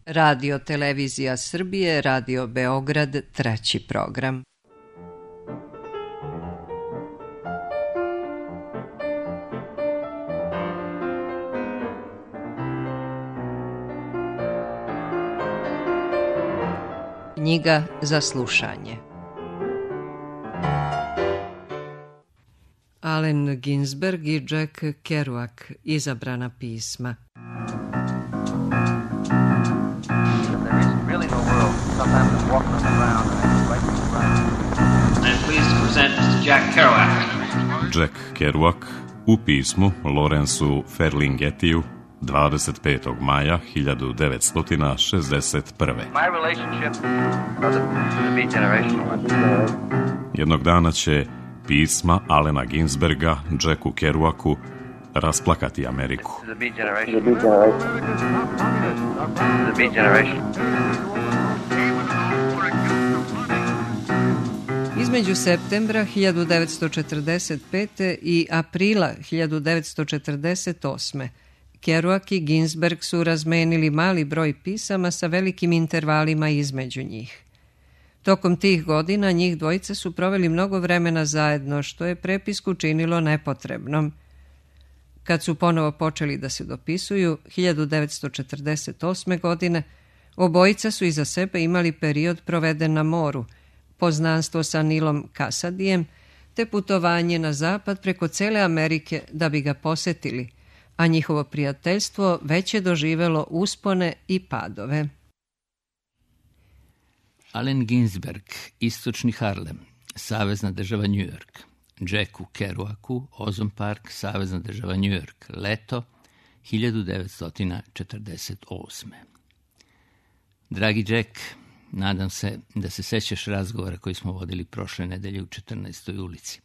Radio Televizija Srbije, Radio Beograd, treći program. Knjiga za slušanje. Allen Ginsberg i Jack Kerouac, izabrana pisma. Jack Kerouac u pismu Lawrenceu Ferlinghettiju 25. maja 1961. Jednog dana će pisma Allena Ginsberga Jacku Kerouacu rasplakati Ameriku. Između septembra 1945. i aprila 1948. Kerouac i Ginsberg su razmenili mali broj pisama sa velikim intervalima između njih. Tokom tih godina njih dvojica su proveli mnogo vremena zajedno, što je prepisku činilo nepotrebnom. Kad su ponovo počeli da se dopisuju, 1948. godine, obojica su iza sebe imali period proveden na moru, poznanstvo sa Nilom Kasadijem, te putovanje na zapad preko cele Amerike da bi ga posetili, a njihovo prijateljstvo već je doživelo uspone i padove. Allen Ginsberg, istočni Harlem, savezna država New York. Jacku Kerouacu, Ozone Park, savezna država New York, leto 1948. Dragi Jack, nadam se da se sećaš razgovora koji smo vodili prošle nedelje u 14. ulici.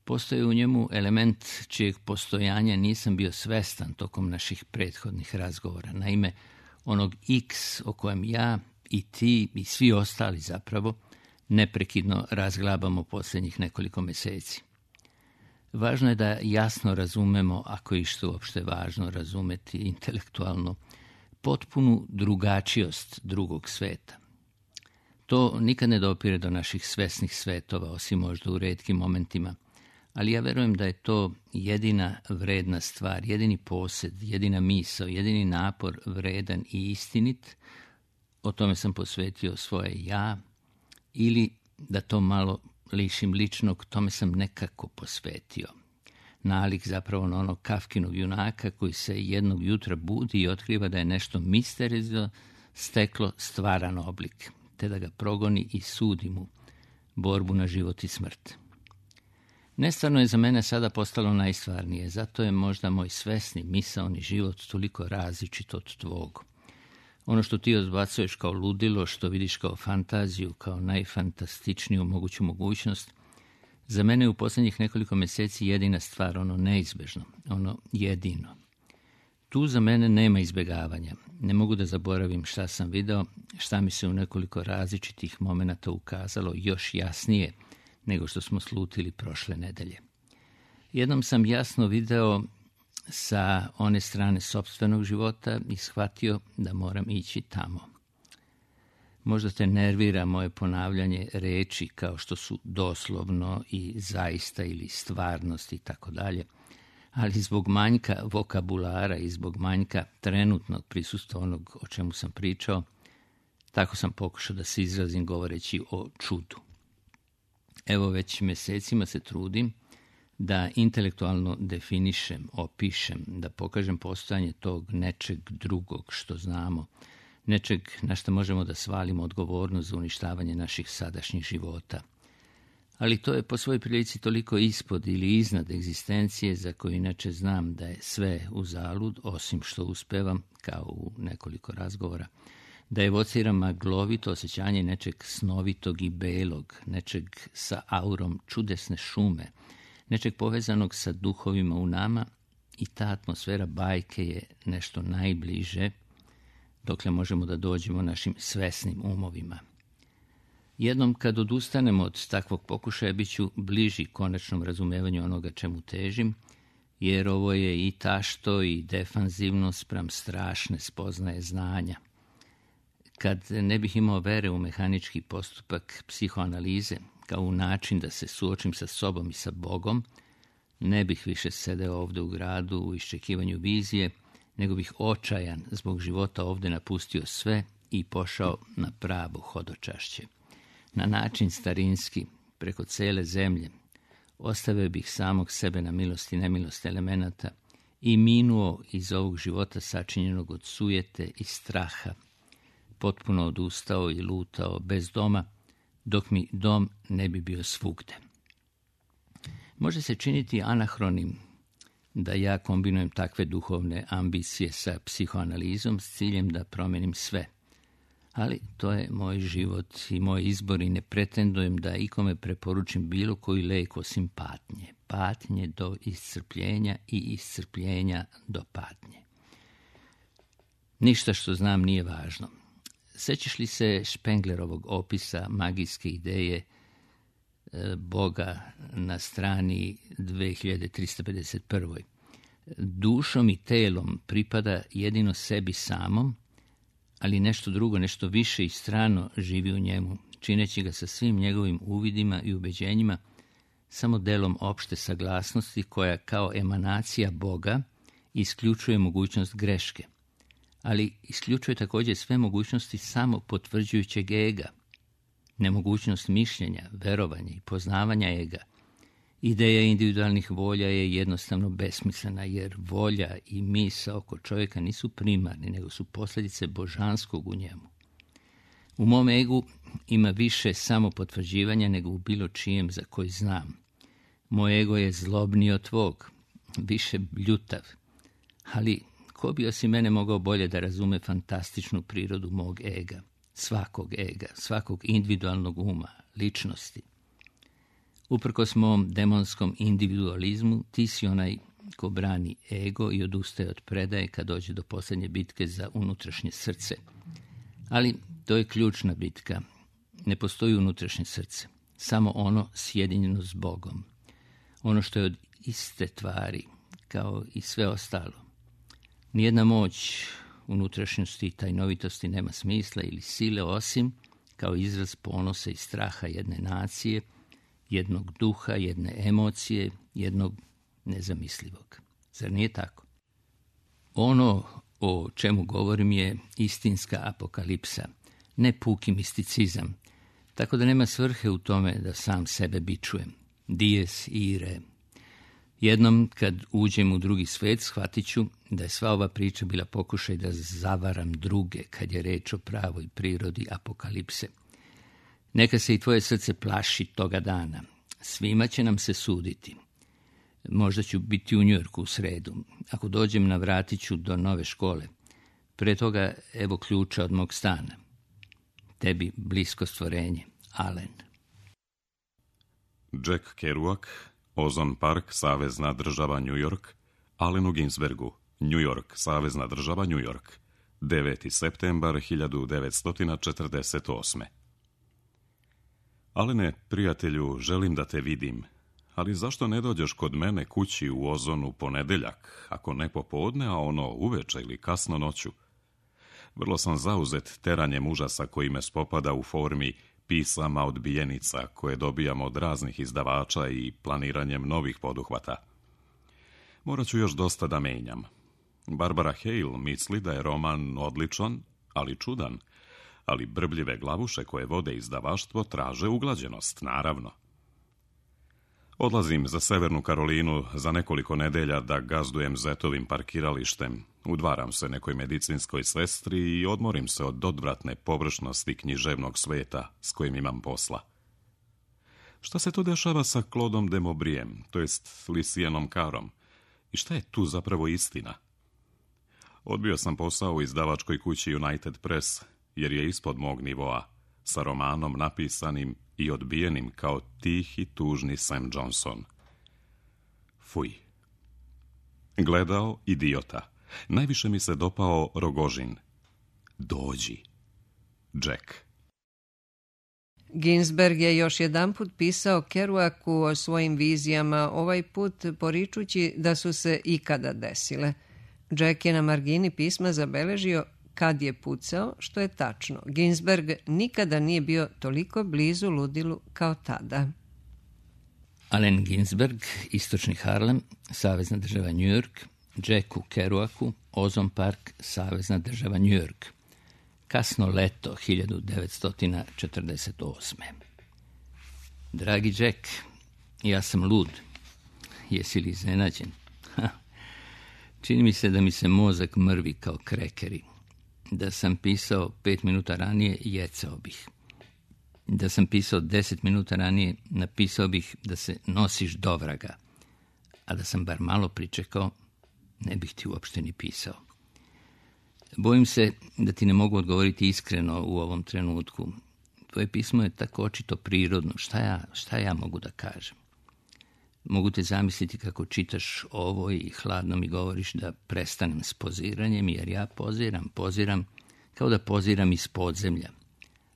Postoji u njemu element čijeg postojanja nisam bio svestan tokom naših prethodnih razgovora. Naime, onog X o kojem ja i ti i svi ostali zapravo neprekidno razglabamo posljednjih nekoliko meseci. Važno je da jasno razumemo, ako je što uopšte važno razumeti intelektualno, potpunu drugačijost drugog sveta. To nikad ne dopire do naših svesnih svetova, osim možda u retkim momentima, ali ja verujem da je to jedina vredna stvar, jedini posed, jedina misao, jedini napor vredan i istinit. O tome sam posvetio svoje ja, ili da to malo lišim ličnog, tome sam nekako posvetio. Nalik zapravo na onog Kafkinog junaka koji se jednog jutra budi i otkriva da je nešto misteriozno steklo stvaran oblik, te da ga progoni i sudi mu borbu na život i smrt. Nestvarno je za mene sada postalo najstvarnije, zato je možda moj svesni misaoni život toliko različit od tvog. Ono što ti odbacuješ kao ludilo, što vidiš kao fantaziju, kao najfantastičniju moguću mogućnost, za mene je u posljednjih nekoliko mjeseci jedina stvar, ono neizbežno, ono jedino. Tu za mene nema izbjegavanja. Ne mogu da zaboravim šta sam video, šta mi se u nekoliko različitih momenata ukazalo još jasnije nego što smo slutili prošle nedelje. Jednom sam jasno video sa one strane sopstvenog života i shvatio da moram ići tamo. Možda te nervira moje ponavljanje reči kao što su doslovno i zaista ili stvarnost i tako dalje, ali zbog manjka vokabulara i zbog manjka trenutnog prisustva onog o čemu sam pričao, tako sam pokušao da se izrazim govoreći o čudu. Evo već mjesecima se trudim da intelektualno definišem, opišem, da pokažem postojanje tog nečeg drugog što znamo, nečeg na što možemo da svalimo odgovornost za uništavanje naših sadašnjih života. Ali to je po svojoj prilici toliko ispod ili iznad egzistencije za koju inače znam da je sve uzalud, osim što uspevam, kao u nekoliko razgovora, da evociram maglovito osjećanje nečeg snovitog i belog, nečeg sa aurom čudesne šume, nečeg povezanog sa duhovima u nama, i ta atmosfera bajke je nešto najbliže dokle možemo da dođemo našim svesnim umovima. Jednom kad odustanemo od takvog pokušaja, bit ću bliži konačnom razumevanju onoga čemu težim, jer ovo je i tašto i defanzivno spram strašne spoznaje znanja. kad ne bih imao vere u mehanički postupak psihoanalize, kao u način da se suočim sa sobom i sa Bogom, ne bih više sedeo ovdje u gradu u iščekivanju vizije, nego bih očajan zbog života ovdje napustio sve i pošao na pravo hodočašće. Na način starinski, preko cele zemlje, ostavio bih samog sebe na milost i nemilost elemenata i minuo iz ovog života sačinjenog od sujete i straha, potpuno odustao i lutao bez doma, dok mi dom ne bi bio svugde. Može se činiti anahronim da ja kombinujem takve duhovne ambicije sa psihoanalizom s ciljem da promenim sve. Ali to je moj život i moj izbor i ne pretendujem da ikome preporučim bilo koji lek osim patnje. Patnje do iscrpljenja i iscrpljenja do patnje. Ništa što znam nije važno. Sećaš li se Spenglerovog opisa magijske ideje Boga na strani 2351. Dušom i telom pripada jedino sebi samom, ali nešto drugo, nešto više i strano živi u njemu, čineći ga sa svim njegovim uvidima i ubeđenjima samo delom opšte saglasnosti koja kao emanacija Boga isključuje mogućnost greške, ali isključuje također sve mogućnosti samo potvrđujućeg ega, nemogućnost mišljenja, verovanja i poznavanja ega. Ideja individualnih volja je jednostavno besmislena, jer volja i misao oko čovjeka nisu primarni, nego su posljedice božanskog u njemu. U mom egu ima više samopotvrđivanja nego u bilo čijem za koji znam. Moj ego je zlobniji od tvog, više bljutav, ali ko bi osim mene mogao bolje da razume fantastičnu prirodu mog ega, svakog individualnog uma, ličnosti. Uprkos mom demonskom individualizmu, ti si onaj ko brani ego i odustaje od predaje kad dođe do posljednje bitke za unutrašnje srce. Ali to je ključna bitka. Ne postoji unutrašnje srce, samo ono sjedinjeno s Bogom. Ono što je od iste tvari, kao i sve ostalo. Nijedna moć unutrašnjosti i tajnovitosti nema smisla ili sile osim kao izraz ponosa i straha jedne nacije, jednog duha, jedne emocije, jednog nezamislivog. Zar nije tako? Ono o čemu govorim je istinska apokalipsa, ne puki misticizam, tako da nema svrhe u tome da sam sebe bičujem. Dies irae. Jednom kad uđem u drugi svet, shvatit ću da je sva ova priča bila pokušaj da zavaram druge kad je reč o pravoj prirodi apokalipse. Neka se i tvoje srce plaši toga dana. Svima će nam se suditi. Možda ću biti u Njujorku u sredu. Ako dođem, navratit ću do nove škole. Pre toga evo ključa od mog stana. Tebi blisko stvorenje. Alen. Jack Kerouac, Ozone Park, Savezna država New York, Allenu Ginsbergu, New York, Savezna država New York, 9. septembar 1948. Alene, prijatelju, želim da te vidim, ali zašto ne dođeš kod mene kući u Ozonu ponedeljak, ako ne popodne, a ono uveče ili kasno noću? Vrlo sam zauzet teranjem užasa koji me spopada u formi pisama odbijenica koje dobijam od raznih izdavača i planiranjem novih poduhvata. Morat ću još dosta da menjam. Barbara Hale misli da je roman odličan, ali čudan, ali brbljive glavuše koje vode izdavaštvo traže uglađenost, naravno. Odlazim za Severnu Karolinu za nekoliko nedelja da gazdujem zetovim parkiralištem, udvaram se nekoj medicinskoj sestri i odmorim se od odvratne površnosti književnog sveta s kojim imam posla. Šta se to dešava sa Claudeom de Maubryem, to jest Lucienom Carom, i šta je tu zapravo istina? Odbio sam posao u izdavačkoj kući United Press, jer je ispod mog nivoa, sa romanom napisanim i odbijenim kao tihi, tužni Sam Johnson. Fuj. Gledao idiota. Najviše mi se dopao Rogožin. Dođi. Jack. Ginsberg je još jedanput pisao Kerouacu o svojim vizijama, ovaj put poričući da su se ikada desile. Jack je na margini pisma zabeležio kad je pucao, što je tačno. Ginsberg nikada nije bio toliko blizu ludilu kao tada. Allen Ginsberg, istočni Harlem, savezna država New York, Jacku Kerouacu, Ozone Park, savezna država New York. Kasno leto 1948. Dragi Jack, ja sam lud. Jesi li iznenađen? Čini mi se da mi se mozak mrvi kao krekeri. Da sam pisao 5 minuta ranije, jecao bih. Da sam pisao 10 minuta ranije, napisao bih da se nosiš do vraga. A da sam bar malo pričekao, ne bih ti uopšte ni pisao. Bojim se da ti ne mogu odgovoriti iskreno u ovom trenutku. Tvoje pismo je tako očito prirodno. Šta ja mogu da kažem? Mogu te zamisliti kako čitaš ovo i hladno mi govoriš da prestanem s poziranjem, jer ja poziram kao da poziram iz podzemlja.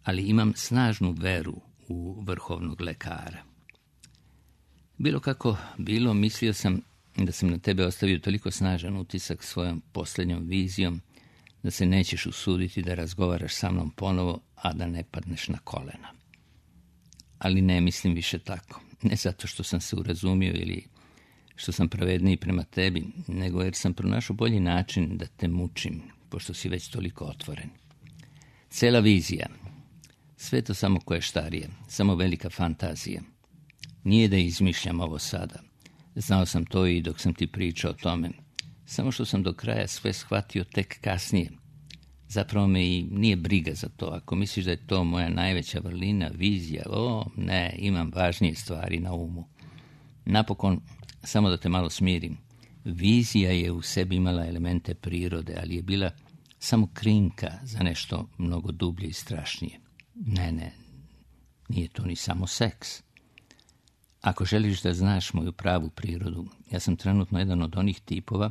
Ali imam snažnu veru u vrhovnog lekara. Bilo kako bilo, mislio sam da sam na tebe ostavio toliko snažan utisak svojom posljednjom vizijom da se nećeš usuditi da razgovaraš sa mnom ponovo, a da ne padneš na kolena. Ali ne mislim više tako. Ne zato što sam se urazumio ili što sam pravedniji prema tebi, nego jer sam pronašao bolji način da te mučim, pošto si već toliko otvoren. Cela vizija, sve to samo koještarije, samo velika fantazija. Nije da izmišljam ovo sada. Znao sam to i dok sam ti pričao o tome. Samo što sam do kraja sve shvatio tek kasnije. Zapravo me i nije briga za to. Ako misliš da je to moja najveća vrlina, vizija, ne, imam važnije stvari na umu. Napokon, samo da te malo smirim, vizija je u sebi imala elemente prirode, ali je bila samo krinka za nešto mnogo dublje i strašnije. Ne, nije to ni samo seks. Ako želiš da znaš moju pravu prirodu, ja sam trenutno jedan od onih tipova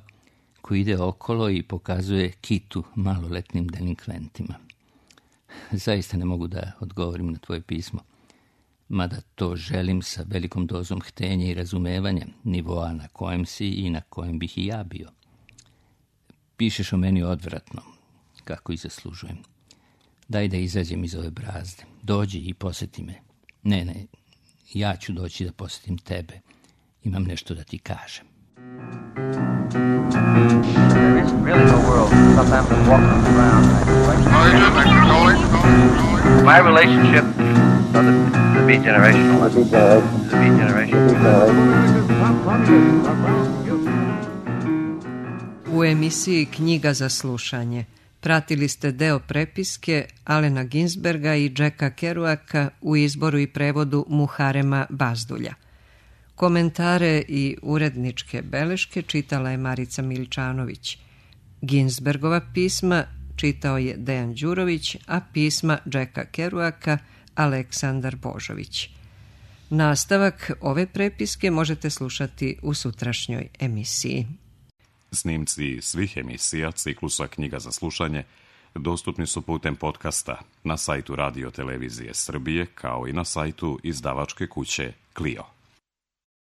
koji ide okolo i pokazuje kitu maloletnim delinkventima. Zaista ne mogu da odgovorim na tvoje pismo, mada to želim sa velikom dozom htenja i razumevanja, nivoa na kojem si i na kojem bih i ja bio. Pišeš o meni odvratno, kako i zaslužujem. Daj da izađem iz ove brazde. Dođi i posjeti me. Ne, ja ću doći da posjetim tebe. Imam nešto da ti kažem. There isn't really no world. Sometimes I'm walking around my relationship, so the beat generational. The beat generation. U emisiji Knjiga za slušanje pratili ste deo prepiske Allena Ginsberga i Jacka Kerouaca u izboru i prevodu Muharema Bazdulja. Komentare i uredničke beleške čitala je Marica Miličanović. Ginsbergova pisma čitao je Dejan Đurović, a pisma Jacka Kerouaca Aleksandar Božović. Nastavak ove prepiske možete slušati u sutrašnjoj emisiji. Snimci svih emisija ciklusa Knjiga za slušanje dostupni su putem podcasta na sajtu Radio Televizije Srbije, kao i na sajtu izdavačke kuće Clio.